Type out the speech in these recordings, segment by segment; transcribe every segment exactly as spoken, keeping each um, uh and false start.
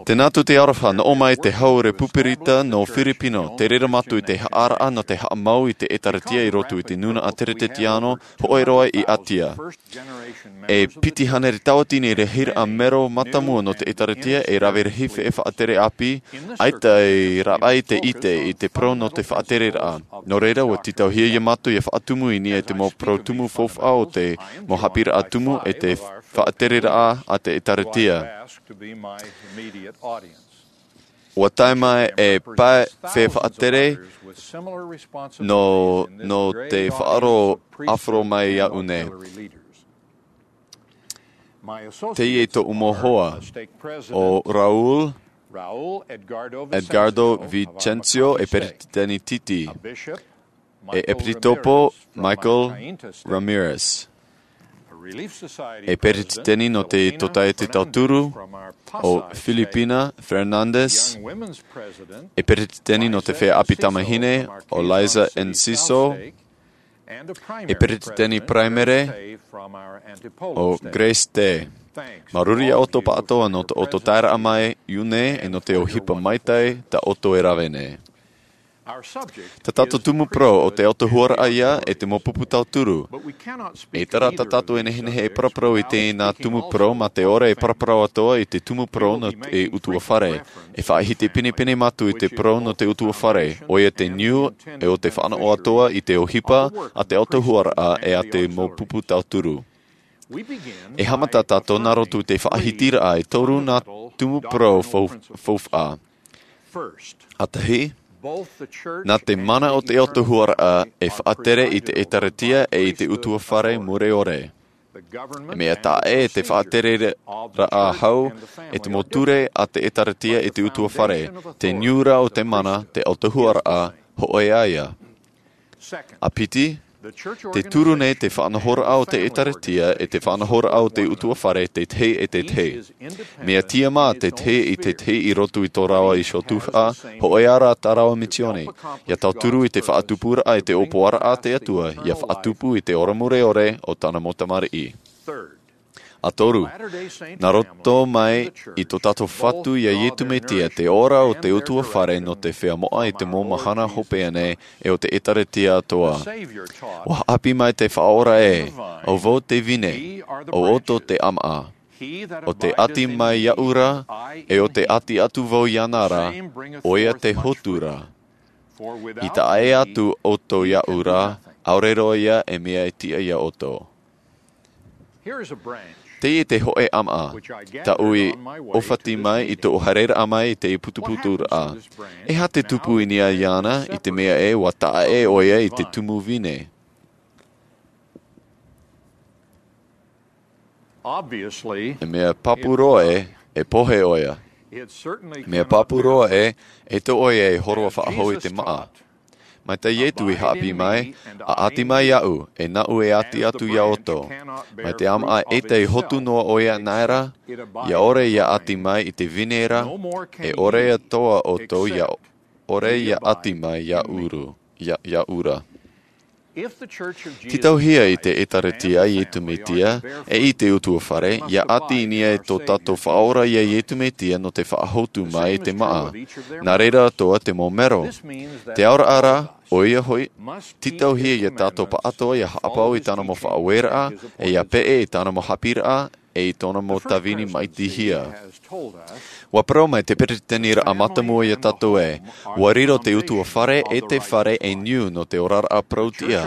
Tēnā atu te aroha, nō mai te hau Repuberika nō Firipino, te reira mātou i te haʻaraʻa nō te haʻamau i te ʻēkālesia i roto i te nūnaʻa Teretetiano, hōʻē roa i Atia. E piti hānere tauatini rahiraʻa mero mātāmua nō te ʻēkālesia e rave rahi fē faʻatere ʻāpī, ʻaita e rave i te ʻite i te parau nō te faʻatereraʻa. Nō reira, ua tītauhia ia mātou ia faʻatumu i niʻa i te mau parau tumu faufaʻa o te mau haʻapiʻiraʻa tumu e te faʻatereraʻa a te ʻēkālesia. Ua tae mai e pae fē faʻatere nō, nō te faʻaroʻo ʻāfaro mai iāʻu nei. Teie tōʻu mau hoa, ʻo Raul Edgardo Vicencio, e peretiteni Titi, e ʻEpitikopo Michael Ramirez, e peretiteni nō te Tōtaiete Tauturu, ʻo Filipina Fernandez, e peretiteni nō te Feiā ʻĀpī Tamāhine, ʻo Liza Enciso, e peretiteni paraimere, ʻo Grace Tē. Māuruuru ia ʻoutou pāʻatoʻa nō tō ʻoutou taeraʻa mai iāʻu nei e nō te ʻohipa maitaʻi tā ʻoutou e rave nei. Tā tātou tumu parau ʻo te autahuʻaraʻa ïa e te mau pupu tauturu. E ʻere rā tā tātou e nehenehe e paraparau i teie tumu parau mā te ʻore e paraparau atoʻa i te tumu parau nō te ʻutuāfare. E faʻahiti pinepine mātou i te parau nō te ʻutuāfare, ʻoia te niu, e ʻo te fānaʻo atoʻa i te ʻohipa a te autahuʻaraʻa e a te mau pupu tauturu. E haʻamata tātou nā roto i te faʻahitiraʻa e toru nā tumu parau fau-, faufaʻa. ʻĀtahi, nā te mana o te autahuʻaraʻa e faʻatere i te ʻēkālesia e i te ʻutuāfare mure ʻore. E mea taʻa ʻē te faʻatereraʻa hau e te mau ture a te ʻēkālesia i te ʻutuāfare, te niu rā o te mana, te autahuʻaraʻa, hōʻē ïa. ʻA piti, te turu nei te faʻanahoraʻa o te ʻēkālesia e te faʻanahoraʻa o te ʻutuāfare te tahi e te tahi. Mea tiʻamā te tahi i te tahi i roto i tō rāua iho tuhaʻa, hōʻē rā tā rāua misiōni, ia tauturu i te faʻatupuraʻa i te ʻōpuaraʻa a te Atua, ia faʻatupu i te ora mure ʻore o tāna mau tamariʻi. ʻA toru, nā roto mai i tō tātou Fatu iā Iesu Mesia te ora o te ʻutuāfare nō te feiā moʻa i te mau mahana hopeʻa nei e o te ʻēkālesia atoʻa. ʻUa haʻapiʻi mai te Faʻaora ē, ʻo vau te vine, ʻo ʻoutou te ʻāmaʻa. ʻO tē ʻati mai iāʻu ra, e ʻo tē ʻati atu vau iāna ra, ʻoia te hotu ra. I taʻa ʻē atu ʻoutou iāʻu ra, ʻaore roa ïa e mea e tiʻa iā ʻoutou. Teie te hōʻē ʻāmaʻa, tāʻu i ʻōfati mai i tōʻu haereraʻa mai i te putuputuraʻa. E aha te tupu i niʻa iāna i te mea ē ʻua taʻa ʻē ʻoia i te tumu vine? E mea pāpū roa ē, e pohe ʻoia. E mea pāpū roa ē, e tō ʻoia e hōroʻa faʻahou i te māʻa. Mai tā Iesu i haʻapiʻi mai, ʻa ʻati mai iāʻu, e nāʻu e ʻati atu iā ʻoutou. Mai te ʻāmaʻa ʻaita e hotu noa ʻoia anaʻe ra, ʻia ʻore ʻia ʻati mai i te vine ra, e ʻore atoʻa ʻoutou ʻia ʻore ʻia ʻati mai iāʻu ra, iā, iāʻu ra. Tītauhia i te ʻēkālesia a Iesu Mesia, e i te ʻutuāfare, ʻia ʻati i niʻa i tō tātou Faʻaora iā Iesu Mesia nō te faʻahotu mai i te māʻa. Nā reira atoʻa te mau mero. Te aoraʻa ra, ʻoia hoʻi, tītauhia ia tātou pāʻatoʻa ʻia haʻapaʻo i tāna mau faʻaueraʻa, e ʻia peʻe i tāna mau haʻapiʻiraʻa, e i tōna mau tāvini maitihia. ʻUa parau mai te peresideniraʻa mātāmua iā tātou ē, ʻua riro te ʻutuāfare e te fare ei niu nō te oraraʻa parau-tiʻa.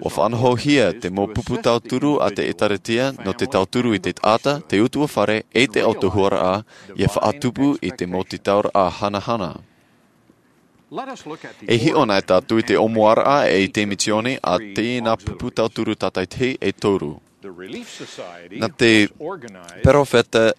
ʻUa faʻanahohia te mau pupu tauturu a te ʻēkālesia nō te tauturu i te taʻata, te ʻutuāfare, e te autahuʻaraʻa, ʻia faʻatupu i te mau tītauraʻa hanahana. E hiʻo na tātou i te ʻōmuaraʻa e i te misiōni a teie nā pupu tauturu tātaʻitahi e toru. Nā te perofeta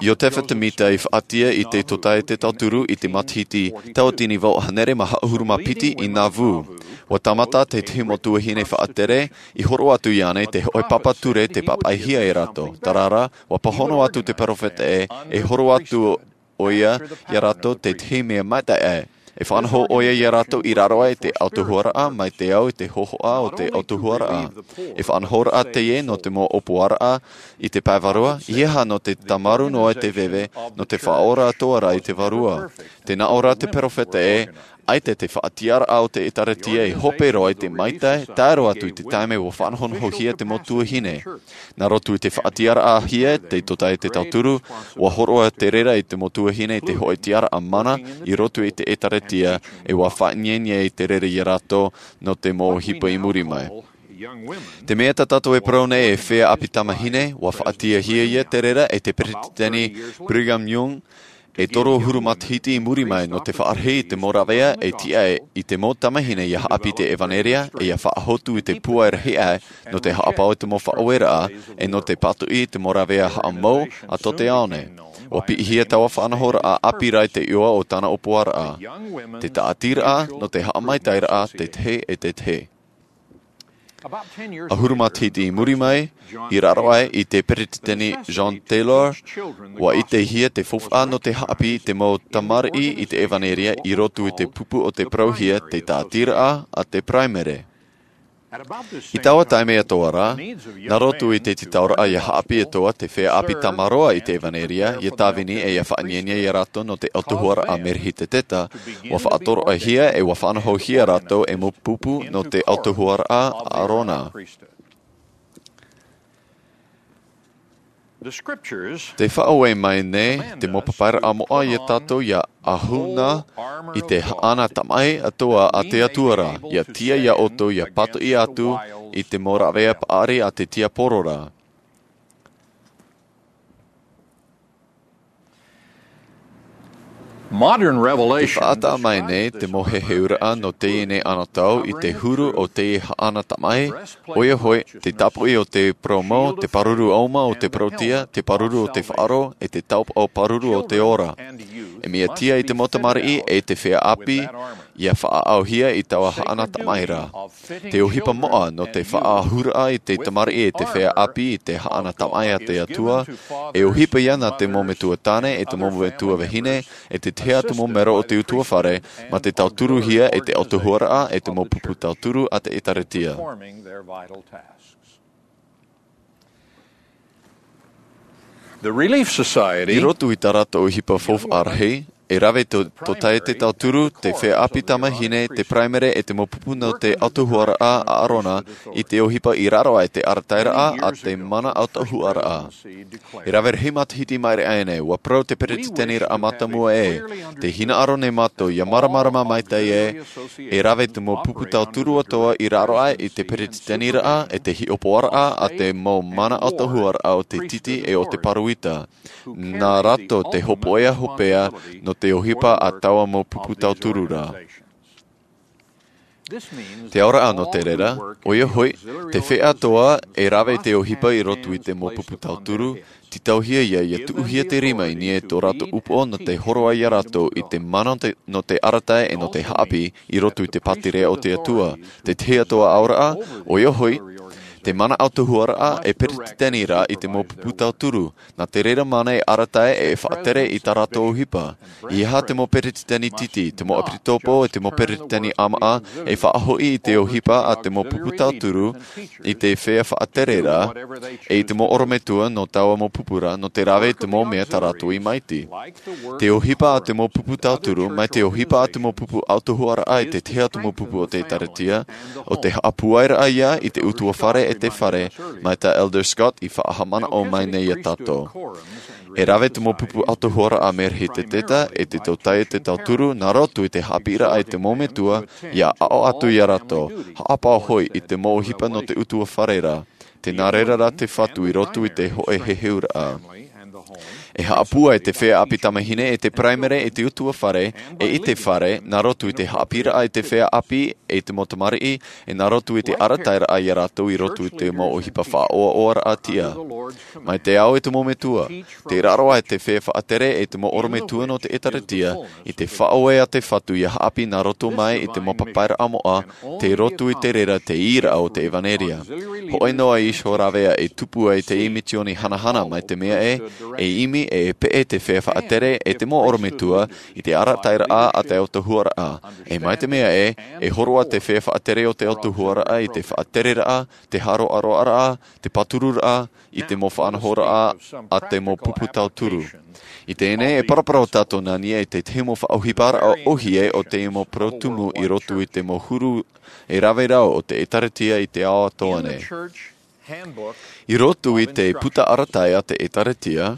Iosepha Semita i faʻaʻite i te Tōtaiete Tauturu i te matahiti tautini vaʻu hānere mā haʻahuru mā piti i Nauvoo. ʻUa tāmata te tahi mau tuahine faʻatere i horo atu iāna i te hōʻē papa ture tei pāpaʻihia e rātou. Terā rā, ʻua pāhono atu te perofeta ē, e horo atu ʻoia iā rātou te tahi mea maitaʻi. E faʻanaho ʻoia iā rātou i raro aʻe i te autahuʻaraʻa mai te ao i te hōhoʻa o te autahuʻaraʻa. E faʻanahoraʻa teie nō te mau ʻōpuaraʻa i te pae vārua, ʻeiaha nō te tāmarū noa i te veve, nō te faʻaora atoʻa rā i te vārua. Tē nā ʻō ra te peropheta ē, ʻaita te faʻatiʻaraʻa o te ʻēkālesia e hope roa i te maitaʻi, tae roa atu i te taime ʻua faʻanahonahohia te mau tuahine. Nā roto i te faʻatiʻaraʻahia te tōtaiete tauturu, ʻua hōroʻa te reira i te mau tuahine i te hoʻē tiʻaraʻa mana i roto i te ʻēkālesia, ʻe ʻua faʻaʻineine i te reira iā rātou nō te mau ʻohipa i muri mai. Te mea tā tātou e parau nei e feiā ʻāpī tamāhine, ʻua faʻatiʻahia ia te reira e te peretiteni Brigham Young, e toru ʻahuru matahiti i muri mai nō te faʻarahi i te mau rāveʻa e tiʻa i te mau tamāhine ʻia haʻapiʻi i te ʻevanelia, ʻe ʻia faʻahotu i te pūai rahi aʻe nō te haʻapaʻo i te mau faʻaueraʻa, ʻe nō te pātoʻi i te mau rāveʻa haʻamou a tō te ao nei. ʻUa piʻihia taua faʻanahoraʻa ʻāpī rā i te iʻoa o tāna ʻōpuaraʻa. Te tāʻatiraʻa nō te haʻamaitaʻiraʻa tētahi e tētahi. ʻAhuru matahiti i muri mai, i raro aʻe i te peretiteni John Taylor, ʻua ʻitehia te faufaʻa nō te haʻapiʻi i te mau tamariʻi i te ʻevanelia i roto i te pupu o te parauhia te tāʻatiraʻa a te paraimere. I taua taime atoʻa rā, nā roto i te tītauraʻa ʻia haʻapiʻi atoʻa te feiā ʻāpī tāmāroa i te ʻevanelia, ʻia tāvini ʻe ʻia faʻaʻineine iā rātou nō te autahuʻaraʻa Merihitetetā, ʻua faʻatoroʻahia ʻe ʻua faʻanahohia rātou e mau pupu nō te autahuʻaraʻa a ʻĀrona. Tē faʻaue mai nei te mau papairaʻa moʻa iā tātou ʻia ʻahu na i te haʻana tamaʻi atoʻa a te Atua ra, ʻia tiʻa iā ʻoutou ʻia pātoʻi atu i te mau rāveʻa paʻari a te tiaporo ra. Modern revelation. Te faʻataʻa mai nei te mau heheuraʻa nō teie nei anotau i te huru o te haʻana tamaʻi, ʻoia hoʻi, te tāpoʻi o te parau mau, te pāruru ʻauma o te parautia, te pāruru o te faʻaroʻo, ʻe te taopaʻo pāruru o te ora. E mea tiʻa i te mau tamariʻi ʻe te feiā ʻāpī, ʻia faʻaʻauhia i taua haʻana tamaʻi ra. Te ʻohipa moʻa nō te faʻaʻahuraʻa i te tamariʻi ʻe te feiā ʻāpī i te haʻana tamaʻi a te Atua, e ʻohipa ia nā te mau metua tāne ʻe te mau metua vahine, ʻe te tahi atu mau mero o te ʻutuāfare, mā te tauturuhia e te autahuʻaraʻa ʻe te mau pupu tauturu a te ʻēkālesia. The Relief Society. I roto i tā rātou ʻohipa faufaʻa rahi, e rave tō, tō tae te tauturu, te feiā ʻāpī tamāhine, te paraimere ʻe te mau pupu nō te autahuʻaraʻa a ʻĀrona, i te ʻohipa i raro aʻe i te arataʻiraʻa a te mana autahuʻaraʻa. E rave rahi matahiti i maʻiri aʻe nei, ʻua parau te peretiteniraʻa mātāmua ē, tē hinaʻaro nei mātou ʻia māramarama maitaʻi ē, e rave te mau pupu tauturu atoʻa i raro aʻe i te peretiteniraʻa ʻe te hiʻopoʻaraʻa a te mau mana autahuʻaraʻa o te tītī ʻe o te pāroita. Nā rātou te hōpoiʻa hopeʻa nō te ʻohipa a taua mau pupu tauturu ra. Te auraʻa nō te reira, ʻoia hoʻi, te feiā atoʻa e rave te ʻohipa i roto i te mau pupu tauturu, tītauhia ia, ʻia tuʻuhia te rima i niʻa i tō rātou upoʻo nō te hōroʻa iā rātou i te mana te, nō te arataʻi ʻe nō te haʻapiʻi i roto i te pātireia o te Atua. Te tahi atoʻa auraʻa, ʻoia hoʻi, te mana autahuʻaraʻa e peretiteniraʻa i te mau pupu tauturu, nā te reira mana e arataʻi ʻe e faʻatere i tā rātou ʻohipa. ʻEiaha te mau peretiteni tītī, te mau ʻepisekopo ʻe te mau peretiteni ʻāmaʻa, e faʻahoʻi i te ʻohipa a te mau pupu tauturu, i te feiā faʻatere ra, ʻe i te mau ʻorometua nō taua mau pupu ra, nō te rave i te mau mea tā rātou i maiti. Te ʻohipa a te mau pupu tauturu, mai te ʻohipa a te mau pupu autahuʻaraʻa i te tahi atu mau pupu o te ʻēkālesia, ʻo te haʻapūairaʻa ia i te ʻutuāfare ʻe te fare, mai tā Elder Scott i faʻahaʻamanaʻo mai nei iā tātou. E rave te mau pupu autahuʻaraʻa Merihitetetā ʻe te tōtaiete tauturu, nā roto i te haʻapiʻiraʻa i te mau metua, ʻia aʻo atu iā rātou, haʻapaʻo hoʻi i te mau ʻohipa nō te ʻutuāfare ra, tē nā reira rā te Fatu i roto i te hōʻē heheuraʻa. E haʻapūai te feiā ʻāpī tamāhine ʻe te paraimere ʻe te ʻutuāfare, ʻe i te fare, nā roto i te haʻapiʻiraʻa i te feiā ʻāpī ʻe te mau tamariʻi, ʻe nā roto i te arataʻiraʻa iā rātou i roto i te mau ʻohipa faʻaʻoaʻoaraʻa tiʻa. Mai te ao ʻe te mau metua, tē raro aʻe te feiā faʻatere ʻe te mau ʻorometua nō te ʻēkālesia, i te faʻaue a te Fatu ʻia haʻapiʻi nā roto mai i te mau papairaʻa moʻa, tei roto i te reira te īraʻa o te ʻevanelia. Hōʻē noa iho rāveʻa e tupu ai te misioni hanahana mai te mea ē, e ʻimi e peʻe te feiā faʻatere e te mau ʻorometua i te arataʻiraʻa a te autahuʻaraʻa. E mai te mea ē, e hōroʻa te feiā faʻatere o te autahuʻaraʻa i te faʻatereraʻa, te hāroʻaroʻaraʻa, te pātururaʻa, i te mau faʻanahoraʻa a te mau pupu tauturu. I teie nei, e paraparau tātou nā niʻa i te tahi mau faʻaʻohiparaʻa ʻōhie o te mau parau tumu i roto i te mau huru e rave rau o te ʻĒtārētia i te ao atoʻa nei. I roto i te puta arataʻi a te ʻĒtārētia,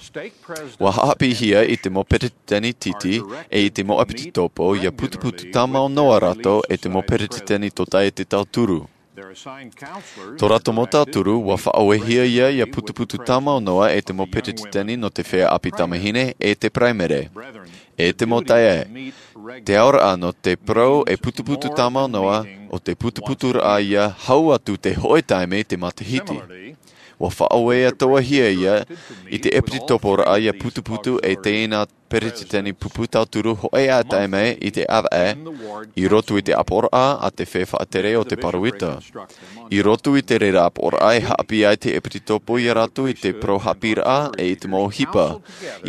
ʻua haʻapiʻihia i te mau peretiteni tītī e i te mau ʻepitopo ʻia putuputu tāmau noa rātou e te mau peretiteni tōtaiete tauturu. Tō rātou mau tauturu, ʻua faʻaʻauehia ia ʻia putuputu tāmau noa e te mau peretiteni nō te feiā ʻāpī tamāhine e te paraimere. E te mau taeaʻe, te auraʻa nō te parau e putuputu tāmau noa, ʻo te putuputuraʻa ia hau atu te hōʻē taime i te matahiti. ʻUa faʻaʻauehia ia i te ʻepitoporaʻa ʻia putuputu e teie nā peretiteni pupu tauturu hōʻē ʻā taime i te ʻāvaʻe, i roto i te ʻāpoʻoraʻa a te feiā faʻatere o te pāroita. I roto i te reira ʻāpoʻoraʻa e haʻapiʻi ai te ʻepitopo ia rātou i te parau haʻapiʻiraʻa e i te mau ʻohipa.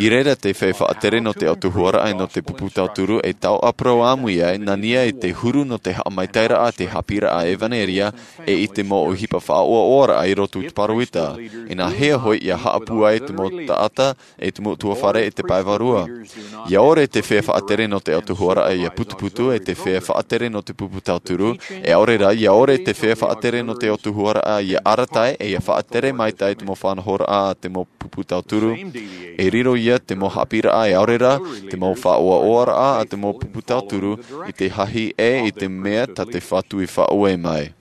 I reira te feiā faʻatere nō te autahuʻaraʻa e nō te pupu tauturu e taoʻa parau ʻāmui ai nā niʻa i te huru nō te haʻamaitaʻiraʻa a te haʻapiʻiraʻa ʻevanelia e i te mau ʻohipa faʻaʻoaʻoaraʻa i roto i te pāroita. Inā hea hoʻi ʻia haʻapū ai te mau taʻata e te mau ʻutuāfare e te pae vārua. ʻIa ʻore te feiā faʻatere nō te autahuʻaraʻa ʻia putuputu e te feiā faʻatere nō te pupu tauturu, e ʻaore rā, ʻia ʻore te feiā faʻatere nō te autahuʻaraʻa ʻia arataʻi e ʻia faʻatere maitaʻi te mau faʻanahoraʻa a te mau pupu tauturu. E riro ia te mau haʻapiʻiraʻa e ʻaore rā, te mau faʻaʻoaʻoaraʻa a te mau pupu tauturu i te hahi e i te mea tā te Fatu i faʻaue mai.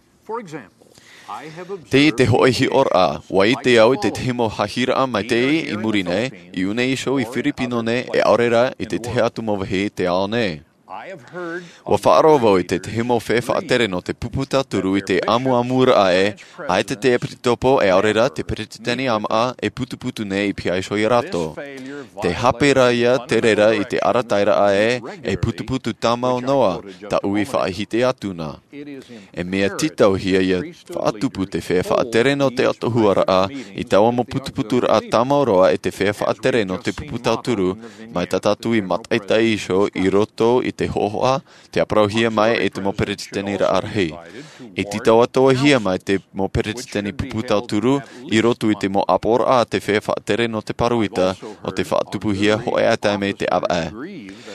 Teie te hōʻē hiʻoraʻa, ʻua ʻite au i te tahi mau hahiraʻa maitaʻi i muri nei, i ʻō nei iho i Firipino nei, e ʻaore rā i te tahi atu mau vāhi i te ao nei. ʻUa faʻaroʻo vau i te tahi mau feiā faʻatere nō te pupu tauturu i te ʻamuʻamuraʻa ē, ʻaita te ʻepitopo e ʻaore rā te peretiteni ʻāmaʻa e putuputu nei i pihaʻi iho ia rātou. Te haʻapiʻiraʻa ia te reira i te arataʻiraʻa ē, e putuputu tāmau noa, tāʻu i faʻahiti atu na. E mea tītauhia ʻia faʻatupu te feiā faʻatere nō te autahuʻaraʻa i taua mau putuputuraʻa tāmau roa e te feiā faʻatere nō te pupu tauturu, mai tā tātou i mātaʻitaʻi iho i roto i te hohoʻa, tē parauhia mai e te mau peretiteniraʻa rahi. E tītau atoʻahia mai te mau peretiteni pupu tauturu i roto i te mau ʻāpoʻoraʻa a te feiā faʻatere nō te pāroita, ʻo tē faʻatupuhia hōʻē ʻā taime i te ʻāvaʻe.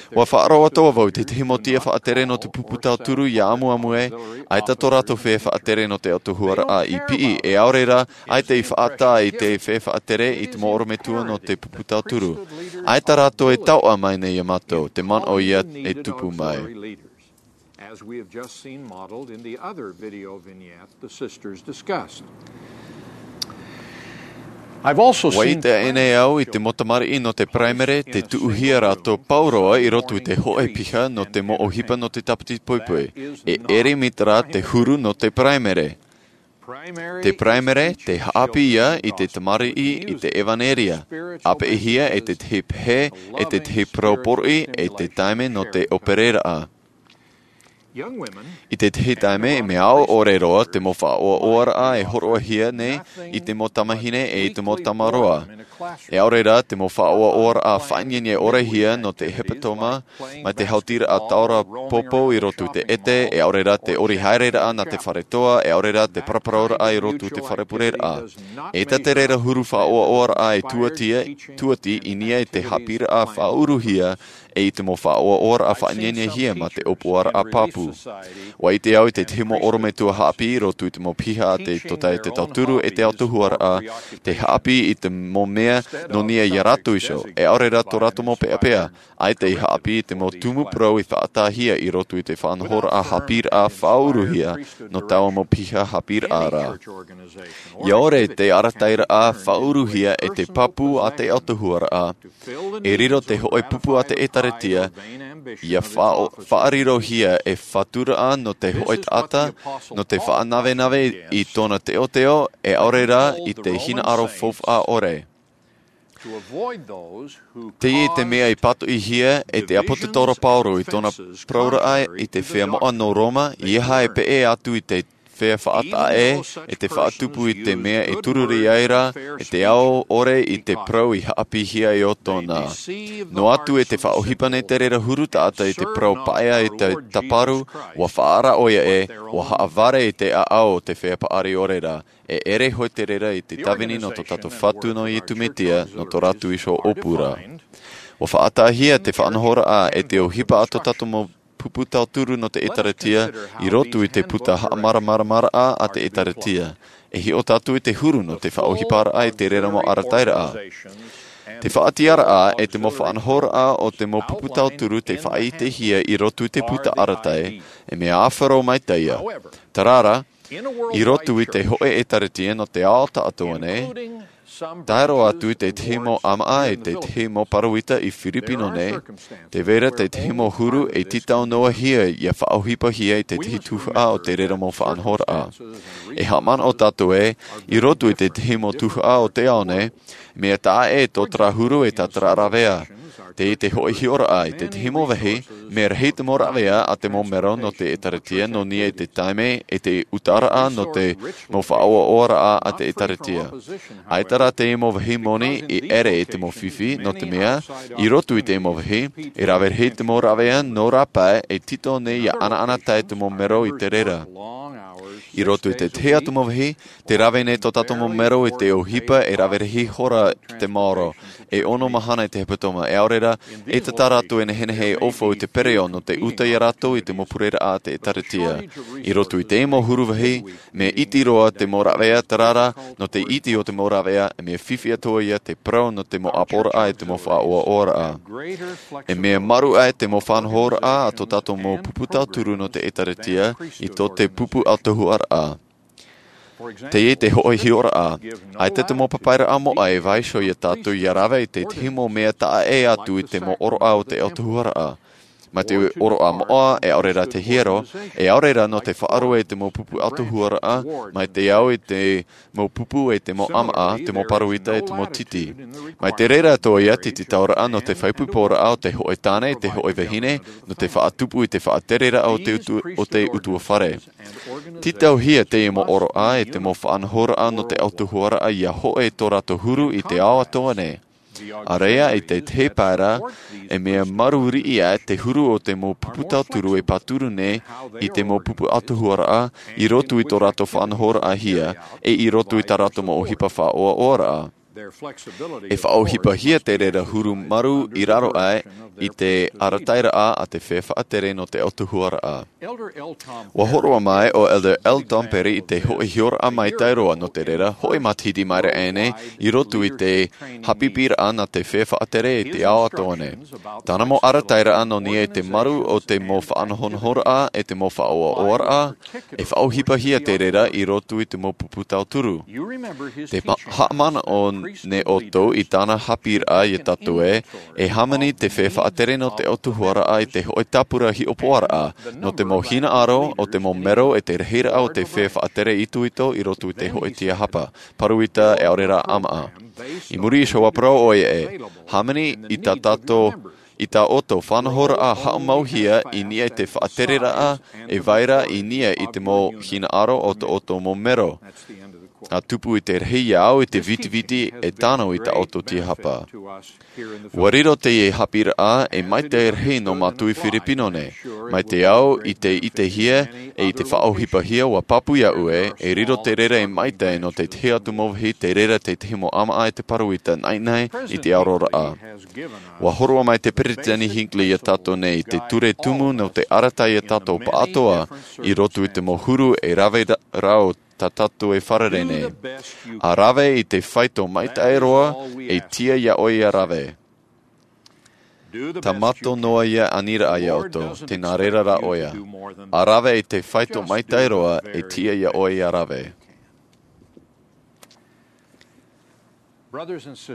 ʻUa faʻaroʻo atoʻa vau i te tahi mau tiʻa faʻatere nō te pupu tauturu ʻia ʻamuʻamu ē, ʻaita tō rātou feiā faʻatere nō te autahuʻaraʻa i piʻi, e ʻaore rā, ʻaita i faʻataʻa i te feiā faʻatere i te mau ʻorometua nō te pupu tauturu. ʻAita rātou e taoʻa mai nei ia mātou, te manaʻo ia e tupu mai. As we have just seen modeled in the other video vignette the sisters discussed. I've also ʻUa seen ʻite aʻenei au i te mau tamariʻi nō te paraimere tē tuʻuhia rātou pauroa i roto i te hōʻē piha nō te mau ʻohipa nō te tāpiti poipoi. E ʻere mai te rā te huru nō te paraimere. Te paraimere, te haʻapiʻi ia i te tamariʻi i te ʻevanelia. ʻApeʻihia e te tahi pehe, e te tahi parau poroʻi, e te taime nō te ʻōpereraʻa. I te tahi taime, e mea ʻaore roa te mau faʻaʻoaʻoaraʻa e hōroʻahia nei i te mau tamāhine e i te mau tamaroa. E ʻaore rā te mau faʻaʻoaʻoaraʻa faʻaineinehia nō te hepetoma, mai te hautiraʻa taora pōpō i roto i te ʻete, e ʻaore rā te ʻori haereraʻa nā te fare toa, e ʻaore rā te paraparauraʻa i roto i te fare pureraʻa. E ʻaita te reira huru faʻaʻoaʻoaraʻa e tuatia, tuati i niʻa i te haʻapiʻiraʻa faʻauruhia, e i te mau faʻaʻoaʻoaraʻa faʻaineinehia mā te ʻōpuaraʻa pāpū. ʻUa ʻite au i te tahi mau ʻorometua haʻapiʻi i roto i te mau piha a te tōtaiete tauturu e te autahuʻaraʻa, te haʻapiʻi i te mau mea nō niʻa ia rātou iho, e ʻaore rā tō rātou mau peʻapeʻa, ʻaita i haʻapiʻi i te mau tumu parau i faʻataʻahia i roto i te faʻanahoraʻa haʻapiʻiraʻa faʻauruhia nō taua mau piha haʻapiʻiraʻa ra. ʻIa ʻore te arataʻiraʻa faʻauruhia e te pāpū a te autahuʻaraʻa, e riro te hōʻē pupu a te ʻĒtārētia, ʻia faʻa-, faʻarirohia e faturaʻa nō te hōʻē taʻata, nō te faʻanavenave i tōna teoteo, e ʻaore rā i te hinaʻaro faufaʻa ʻore. Teie te mea i pātoʻihia e te ʻāpōsetolo Paulo i tōna parauraʻa i te feiā moʻa nō Roma, ʻeiaha e peʻe atu i te fea faʻataʻa e te faʻatupu i te mea e tururi ai ra e te ao ʻore i te parau i haʻapiʻihia e ʻoutou. Noa atu e te faʻaʻohipa nei te reira huru taʻata i te parau paʻea i te taparu, ua faʻaara ʻoia e ua haʻavare i te ʻaʻau o te fea paʻari ʻore ra. E ʻere hoʻi te reira i te tāvini nō tō tātou Fatu nō Iesu Mesia nō tō rātou iho ʻōpū ra. Ua faʻataʻahia te faʻanahoraʻa e te ʻohipa a tō tātou mau pupu tauturu nō te ʻēkālesia i roto i te puta haʻamāramaramaraʻa a te ʻēkālesia. E hiʻo tātou i te huru nō te faʻaʻohiparaʻa i te reira mau arataʻiraʻa. Te faʻatiʻaraʻa e te mau faʻanahoraʻa o te mau pupu tauturu te faʻaʻitehia i roto i te puta arataʻi, e mea ʻāfaro maitaʻi ia. Tarara, i roto i te hoʻe ʻēkālesia nō te ao taʻatoʻa nei, tae roa atu i te tahi mau ʻāmaʻa e te tahi mau paruita i Firipino nei, te vera te tahi mau huru e tītau noa hia ia faʻaʻohipahia i te tahi tuhaʻa o te reira mau faʻanahoraʻa. E haʻamanaʻo tātou e, i roto i te tahi mau tuhaʻa o te ao nei, mea taʻa e tō terā huru e tō terā rāvea. Te i te hoʻi hiʻoraʻa i te tahi mau vāhi, mea rahi te mau rāvea a te mau mero nō te ʻēkālesia nō niʻa i te taime e te utaraʻa nō te mau faʻaʻoaʻoaraʻa a te ʻēkālesia. ʻAita rā te mau vāhi moni i ʻere i te mau fifi nō te mea, i roto i te mau vāhi, e rave rahi te mau rāvea nō rāpae e tītau nei ia ʻanaʻanatae te mau mero i te reira. I roto i te tahi atu mau vāhi, te rave nei tō tātou mau mero i te ʻohipa e rave rahi hora te maoro, e ono mahana i te hepetoma, e ʻaore rā, e tata rātou e nehenehe e ʻōfau i te pereʻoʻo nō te uta ia rātou i te mau pureraʻa a te ʻēkālesia. I roto i te mau huru vāhi, mea iti roa te mau rāvea tarara, nō te iti o te mau rāvea, e mea fifi atoʻa ia te parau nō te mau ʻāpoʻoraʻa e te mau faʻaʻoaʻoaraʻa. E mea maru aʻe te mau faʻanahoraʻa a tō tātou mau pupu tauturu nō te ʻēkālesia, i tō te pupu ʻautuharaʻa. Teie te hoʻi hiʻoraʻa, ʻaita te mau papairaʻa moʻa e vaiiho ia tātou ia rave i te tahi mau mea taʻa e atu i te mau ʻōroʻa o te ʻautuharaʻa. Mai te ʻōroʻa moʻa, e ʻaore rā te hiero, e ʻaore rā nō te faʻaroʻo i te mau pupu ʻautuharaʻa, mai te ao i te mau pupu e te mau ʻāmaʻa, te mau paruita e te mau titi. Mai te reira atoʻa ia te tītauraʻa nō te faʻaipoiporaʻa o te hoʻi tāne, te hoʻi vahine, nō te faʻatupu i te faʻatereraʻa o te utu-, o te ʻutuāfare. Tītauhia teie mau ʻōroʻa e te mau faʻanahoraʻa nō te ʻautuharaʻa ia hoʻi tō rātou huru i te ao atoʻa nei. ʻĀreʻa i te tahi pae ra, e mea maru riʻi aʻe te huru o te mau pupu tauturu e pāturu nei i te mau pupu ʻautuharaʻa i roto i tō rātou faʻanahoraʻahia, e i roto i tā rātou mau ʻohipa faʻaʻoaʻoaraʻa. E faʻaʻohipahia te reira huru maru i raro aʻe i te arataʻiraʻa a te fea faʻatere nō te ʻautuharaʻa. Ua hōroʻa mai ʻo Elder L. Tom Perry i te hoʻi hiʻoraʻa maitaʻi roa nō te reira, hoʻi matahiti mai ra ʻēnei, i roto i te haʻapiʻiraʻa nā te fea faʻatere i te ao atoʻa nei. Tāna mau arataʻiraʻa nō niʻa i te maru o te mau faʻanahonahoraʻa e te mau faʻaʻoaʻoaraʻa, e faʻaʻohipahia te reira i roto i te mau pupu tauturu. Te ma-, haʻamanaʻo nei ʻoutou i tāna haʻapiʻiraʻa ia tātou e, e hāmani te fea faʻatere nō te ʻautuharaʻa i te hoʻi tāpura hiʻopoʻaraʻa, nō te mau hinaʻaro o te mau mero e te rahiraʻa o te fea faʻatere itoito i roto i te hoʻi tiahapa, paruita e ʻaore rā ʻāmaʻa. I muri iho ua parau ʻoia e, hāmani i tā tātou, i tā ʻoutou faʻanahoraʻa haʻamauhia i niʻa i te faʻatereraʻa e vai ra i niʻa i te mau hinaʻaro o tō ʻoutou mau mero. ʻA tupu i te rahi ia au i te vitiviti e tano i tā ʻoutou tiahapa. Ua riro teie haʻapiʻiraʻa e maitaʻi rahi nō mātou i Firipino nei. Mai te ao i te ʻitehia e i te faʻaʻohipahia ua pāpū iāʻu e, e riro te reira e maitaʻi nō te tahi atu mau vāhi te reira te tahi mau ʻāmaʻa e te paruita naʻinaʻi i te aroraʻa. Ua hōroʻa mai te Peretiteni Hinckley ia tātou nei i te ture tumu nō te arataʻi ia tātou pāʻatoʻa i roto i te mau huru e rave ra-, rau tā tātou e fārerei nei. ʻA rave i te faito maitaʻi roa, e tiʻa iā ʻoe ia rave. Tāmato noa ia aniraʻa iā ʻoutou, tē nā reira rā ʻoia. ʻA rave i te faito maitaʻi roa, e tiʻa iā ʻoe ia rave.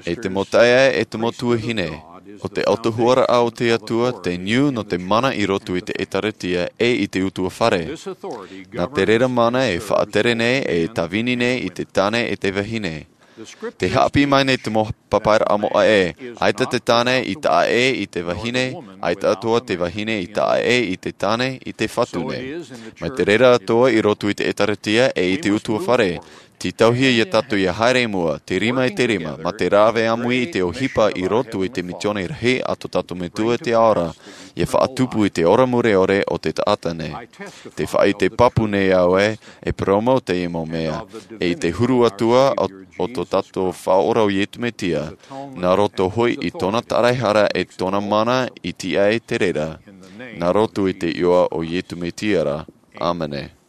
E te mau taeaʻe, e te mau tuahine, ʻo te ʻautuharaʻa o te Atua, te niu nō te mana i roto i te ʻēkālesia e i te ʻutuāfare. Nā te reira mana e faʻatere nei, e tāvini nei i te tāne e te vahine. Te haʻapiʻi mai nei te mau papairaʻa moʻa ē, ʻaita te tāne i taʻa ʻē i te vahine, ʻaita atoʻa te vahine i taʻa ʻē i te tāne i te fatu nei. Mai te reira atoʻa i roto i te ʻēkālesia ʻe i te utuafare, tītauhia ia tātou ia haere i mua, te rima i te rima, mā te rave ʻāmui i te ʻohipa i roto i te misiōni rahi a tō tātou Metua i te Ao ra, ia faʻatupu i te ora mure ʻore o te taʻata nei. Tē faʻaʻite pāpū nei au ē, e parau mau teie mau mea, ʻe i te huru atu ā o, o tō tātou Faʻaora ʻo Iesu Mesia, nā roto hoʻi i tōna tāraehara ʻe tōna mana i tiʻa ai te reira, nā roto i te iʻoa o Iesu Mesia ra. ʻĀmene.